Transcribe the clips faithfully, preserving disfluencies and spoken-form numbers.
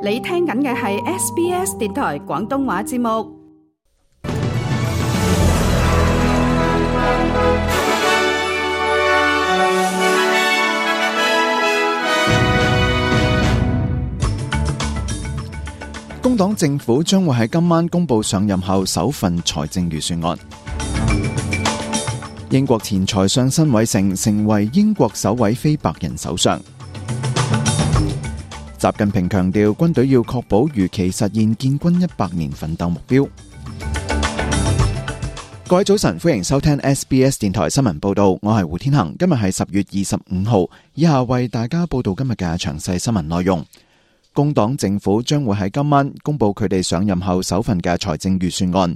你聽緊嘅係 S B S 電台廣東話節目。工黨政府將會喺今晚公布上任後首份財政預算案。英國前財相辛偉誠成為英國首位非白人首相。習近平強調，軍隊要確保如期實現建軍一百年奮鬥目標。各位早晨，歡迎收聽 S B S 電台新聞報道，我係胡天恒。今日係十月二十五號，以下為大家報道今日嘅詳細新聞內容。工黨政府將會喺今晚公布佢哋上任後首份嘅財政預算案。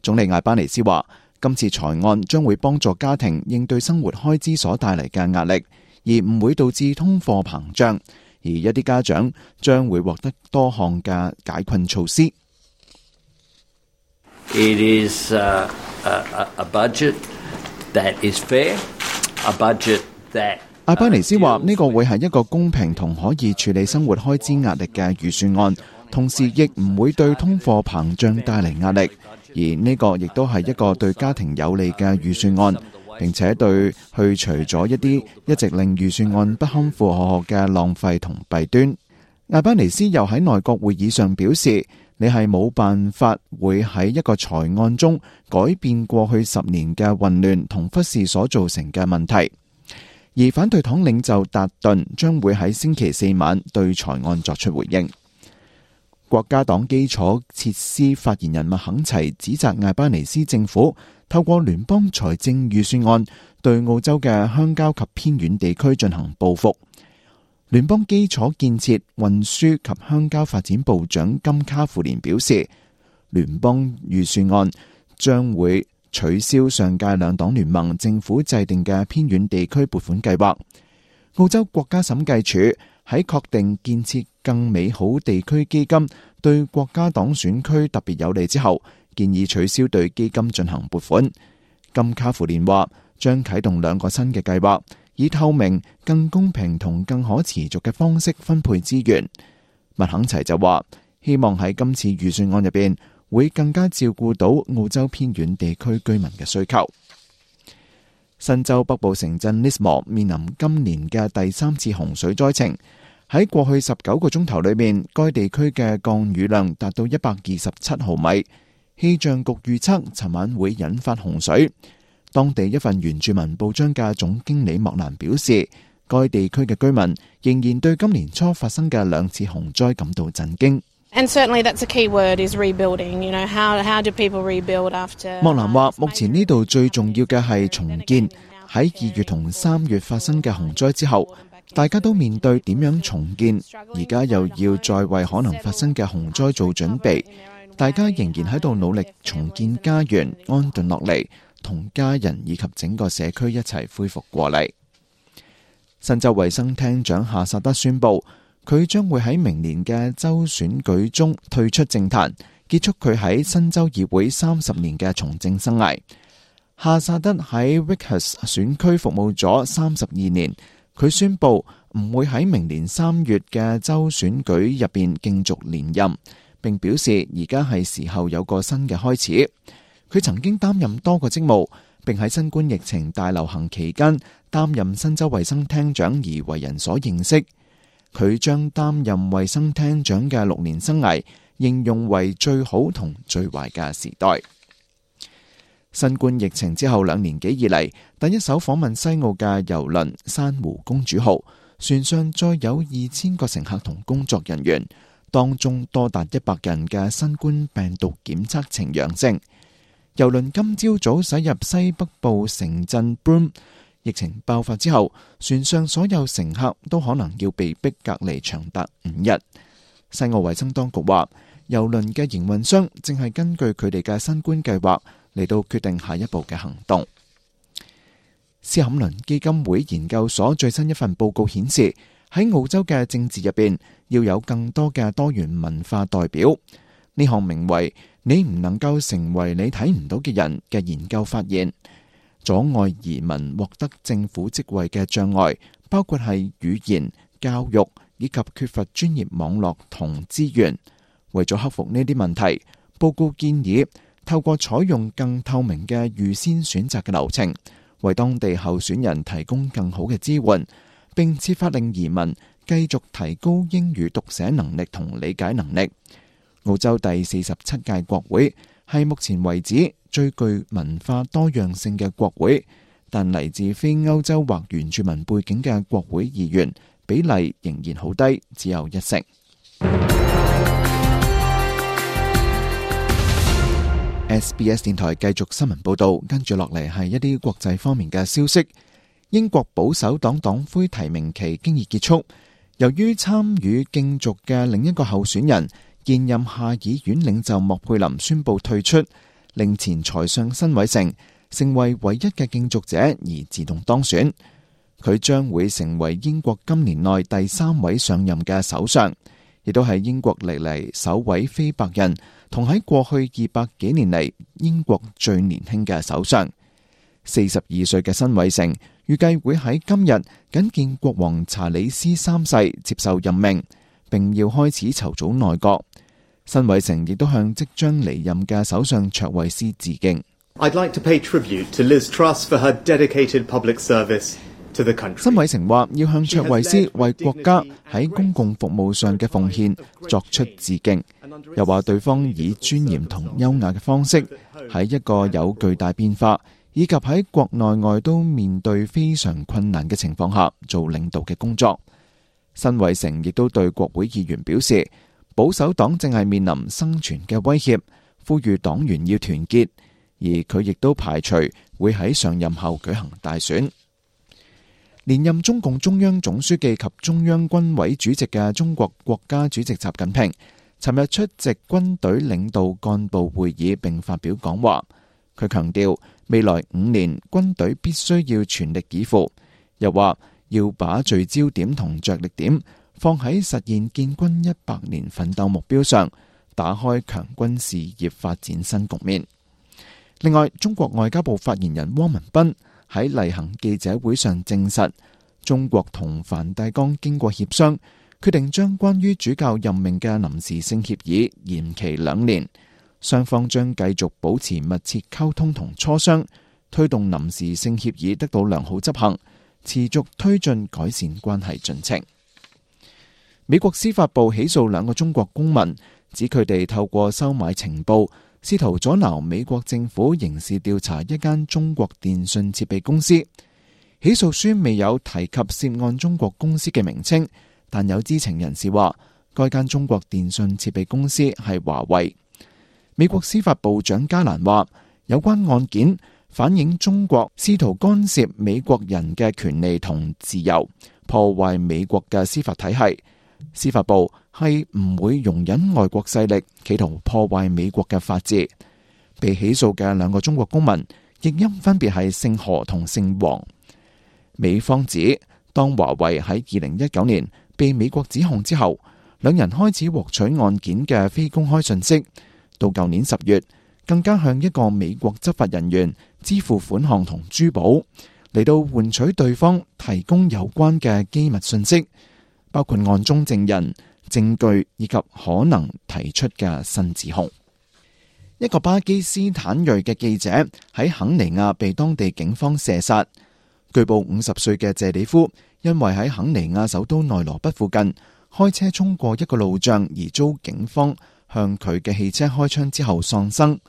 總理艾巴尼斯話，今次財案將會幫助家庭應對生活開支所帶嚟嘅壓力，而唔會導致通貨膨脹。而一啲家長將會獲得多項嘅解困措施。It is a, a, a budget that is fair, a budget that 艾巴尼斯話呢個會係一個公平同可以處理生活開支壓力嘅預算案，同時亦唔會對通貨膨脹帶嚟壓力，而呢個亦都係一個對家庭有利嘅預算案，並且對去除咗一啲一直令預算案不堪負荷嘅浪費同弊端。艾巴尼斯又喺內閣會議上表示，你係冇辦法會喺一個財案中改變過去十年嘅混亂同忽視所造成嘅問題。而反對黨領袖達頓將會喺星期四晚對財案作出回應。國家黨基礎設施發言人麥肯齊指責艾巴尼斯政府透過聯邦財政預算案對澳洲嘅鄉郊及偏遠地區進行報復。聯邦基礎建設、運輸及鄉郊發展部長金卡芙蓮表示，聯邦預算案將會取消上屆兩黨聯盟政府制定嘅偏遠地區撥款計劃。澳洲國家審計署喺確定建設更美好地區基金對國家黨選區特別有利之後，建議取消對基金進行撥款。金卡芙蓮話將啟動兩個新嘅計劃，以透明、更公平同更可持續嘅方式分配資源。麥肯齊就話希望喺今次預算案入邊會更加照顧到澳洲偏遠地區居民嘅需求。新州北部城鎮 Lismore 面臨今年嘅第三次洪水災情。喺過去十九個鐘頭裏面，該地區嘅降雨量達到一百二十七毫米。氣象局預測尋晚會引發洪水。當地一份原住民報章嘅總經理莫蘭表示，該地區嘅居民仍然對今年初發生嘅兩次洪災感到震驚。And certainly that's a key word is rebuilding. You know, how, how do people rebuild after... 莫蘭話，目前呢度最重要嘅係重建。喺二月同三月發生嘅洪災之後，大家都面對點樣重建，而家又要再為可能發生嘅洪災做準備。大家仍然喺度努力重建家園，安頓落嚟，同家人以及整個社區一齊恢復過嚟。新州衛生廳長夏薩德宣布，佢將會喺明年嘅州選舉中退出政壇，結束佢喺新州議會三十年嘅從政生涯。夏薩德喺 Vickers 選區服務咗三十二年，佢宣布唔會喺明年三月嘅州選舉入邊競逐連任，並表示而家係時候有個新嘅開始。佢曾經擔任多個職務，並喺新冠疫情大流行期間擔任新州衛生廳長而為人所認識。佢將擔任衛生廳長嘅六年生涯形容為最好同最壞嘅時代。新冠疫情之後兩年幾以嚟，第一艘訪問西澳嘅郵輪珊瑚公主號船上載有二千個乘客同工作人員，當中多達一百人嘅新冠病毒檢測呈陽性。郵輪今朝早駛入西北部城鎮 Broome， 疫情爆發之後，船上所有乘客都可能要被逼隔離長達五日。西澳衛生當局話，郵輪嘅營運商正係根據佢哋嘅新冠計劃嚟到決定下一步嘅行動。斯坎倫基金會研究所最新一份報告顯示，喺澳洲嘅政治入邊要有更多嘅多元文化代表。呢項名為你唔能夠成為你睇唔到嘅人嘅研究發現，阻礙移民獲得政府職位嘅障礙包括係語言、教育、以及缺乏專業網絡同資源。為咗克服呢啲問題，報告建議透過採用更透明嘅預先選擇嘅流程，為當地候選人提供更好嘅支援，並設法令移民繼續提高英語讀寫能力同理解能力。澳洲第四十七屆國會係目前為止最具文化多樣性嘅國會，但嚟自非歐洲或原住民背景嘅國會議員比例仍然好低，只有一成。S B S 電台繼續新聞報道，跟住落嚟係一啲國際方面嘅消息。英國保守黨黨魁提名期經已結束，由於參與競逐嘅另一個候選人現任下議院領袖莫佩林宣布退出，令前財相辛偉誠成為唯一嘅競逐者而自動當選。佢將會成為英國今年內第三位上任嘅首相，亦都係英國歷嚟首位非白人，同喺過去二百幾年嚟英國最年輕嘅首相。四十二歲嘅辛偉誠預計會喺今日覲見國王查理斯三世接受任命，並要開始籌組內閣。辛偉誠亦都向即將離任嘅首相卓慧思致敬。I'd like to pay tribute to Liz Truss for her dedicated public service to the country. 辛偉誠話要向卓慧思為國家喺公共服務上嘅奉獻作出致敬，又話對方以尊嚴同優雅嘅方式喺一個有巨大變化以及喺國內外都面對非常困難嘅情況下做領導嘅工作。辛偉誠亦都對國會議員表示，保守黨正係面臨生存嘅威脅，呼籲黨員要團結，而佢亦都排除會喺上任後舉行大選。連任中共中央總書記及中央軍委主席嘅中國國家主席習近平尋日出席軍隊領導幹部會議並發表講話。佢強調未來五年軍隊必須要全力以赴，又話要把聚焦點同着力點放喺實現建軍一百年奮鬥目標上，打開強軍事業發展新局面。另外，中國外交部發言人汪文斌喺例行記者會上證實，中國同梵蒂岡經過協商，決定將關於主教任命嘅臨時性協議延期兩年，雙方將繼續保持密切溝通同磋商，推動臨時性協議得到良好執行，持續推進改善關係進程。美國司法部起訴兩個中國公民，指佢哋透過收買情報，試圖阻撓美國政府刑事調查一間中國電信設備公司。起訴書未有提及涉案中國公司嘅名稱，但有知情人士話，該間中國電信設備公司係華為。美國司法部長加蘭話，有關案件反映中國試圖干涉美國人嘅權利同自由，破壞美國嘅司法體系。司法部係唔會容忍外國勢力企圖破壞美國嘅法治。被起訴嘅兩個中國公民譯音分別係姓何同姓黃。美方指，當華為喺二零一九年被美國指控之後，兩人開始獲取案件嘅非公開信息，到舊年十月更加向一個美國執法人員支付款項同珠寶，嚟到換取對方提供有關嘅機密信息，包括案中證人、證據以及可能提出嘅新指控。一個巴基斯坦裔嘅記者喺肯尼亞被當地警方射殺。據報五十歲嘅謝里夫因為喺肯尼亞首都內羅畢附近開車衝過一個路障而遭警方向佢嘅汽車開槍之後喪生。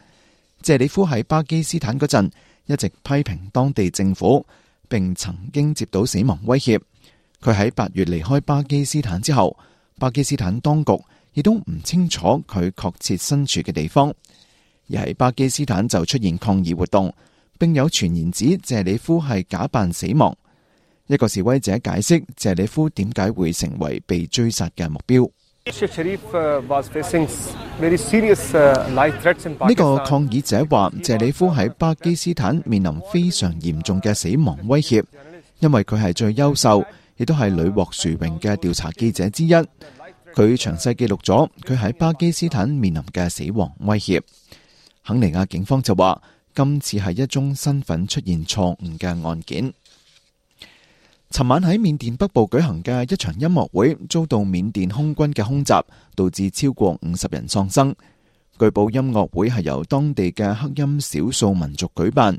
謝里夫喺巴基斯坦嗰陣一直批評當地政府，並曾經接到死亡威脅。佢喺八月離開巴基斯坦之後，巴基斯坦當局亦都唔清楚佢確切身處嘅地方。而喺巴基斯坦就出現抗議活動，並有傳言指謝里夫係假扮死亡。一個示威者解釋謝里夫點解會成為被追殺嘅目標。呢個抗議者話謝里夫喺巴基斯坦面臨非常嚴重嘅死亡威脅，因為佢係最優秀，亦都係屢獲殊榮嘅調查記者之一。佢詳細記錄咗佢喺巴基斯坦面臨嘅死亡威脅。肯尼亞警方就話，今次係一宗身份出現錯誤嘅案件。尋晚喺緬甸北部舉行嘅一場音樂會遭到緬甸空軍嘅空襲，導致超過五十人喪生。據報音樂會係由當地嘅克欽少數民族舉辦，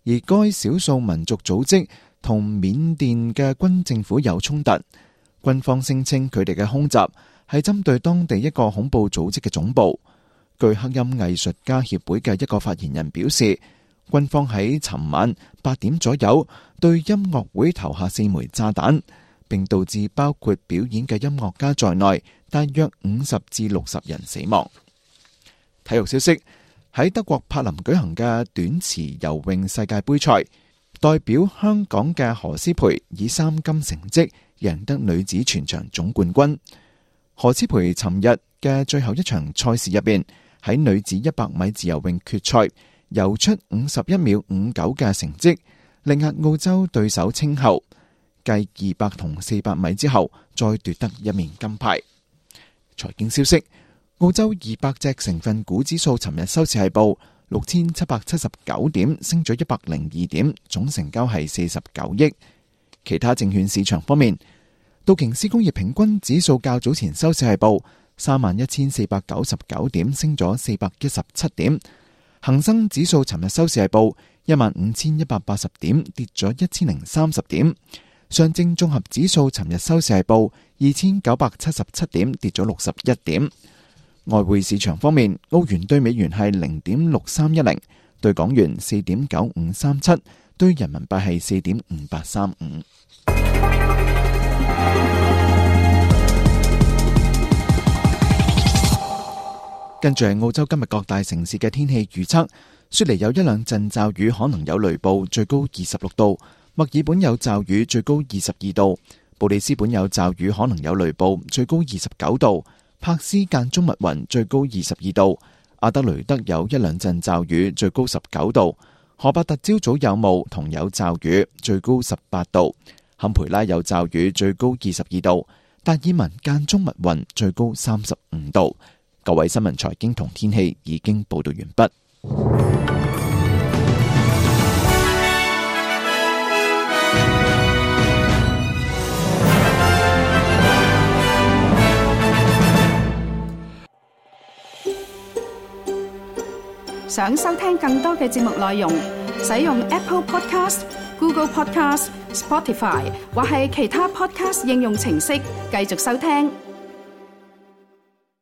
而該少數民族組織同緬甸嘅軍政府有衝突。軍方聲稱佢哋嘅空襲係針對當地一個恐怖組織嘅總部。據克欽藝術家協會嘅一個發言人表示，軍方喺尋晚八點左右對音樂會投下四枚炸彈，並導致包括表演嘅音樂家在內大約五十至六十人死亡。體育消息，喺德國柏林舉行嘅短池游泳世界盃賽，代表香港嘅何詩蓓以三金成績贏得女子全場總冠軍。何詩蓓尋日嘅最後一場賽事入邊，喺女子一百米自由泳決賽游出五十一秒五九嘅成績，力壓澳洲對手稱后，繼二百同四百米之後再奪得一面金牌。財經消息，澳洲二百隻成分股指數尋日收市係報六千七百七十九點，升咗一百零二點，總成交係四十九億。其他證券市場方面，道瓊斯工業平均指數較早前收市係報三萬一千四百九十九點，升咗四百一十七點。恒生指數尋日收市係報一萬五千一百八十點，跌咗一千零三十點。上證綜合指數尋日收市係報二千九百七十七點，跌咗六十一點。外匯市場方面，澳元對美元係零點六三一零，對港元四點九五三七，對人民幣係四點五八三五。跟住係澳洲今日各大城市嘅天氣預測，雪梨有一兩陣驟雨，可能有雷暴，最高二十六度；墨爾本有驟雨，最高二十二度；布里斯本有驟雨，可能有雷暴，最高二十九度；柏斯間中密雲，最高二十二度；阿德雷德有一兩陣驟雨，最高十九度；荷伯特朝早有霧同有驟雨，最高十八度；坎培拉有驟雨，最高二十二度；達爾文間中密雲，最高三十五度。各位新聞財經同天氣已經報道完畢。想收聽更多嘅節目內容，使用 Apple Podcast、Google Podcast、Spotify 或係其他 Podcast 應用程式繼續收聽。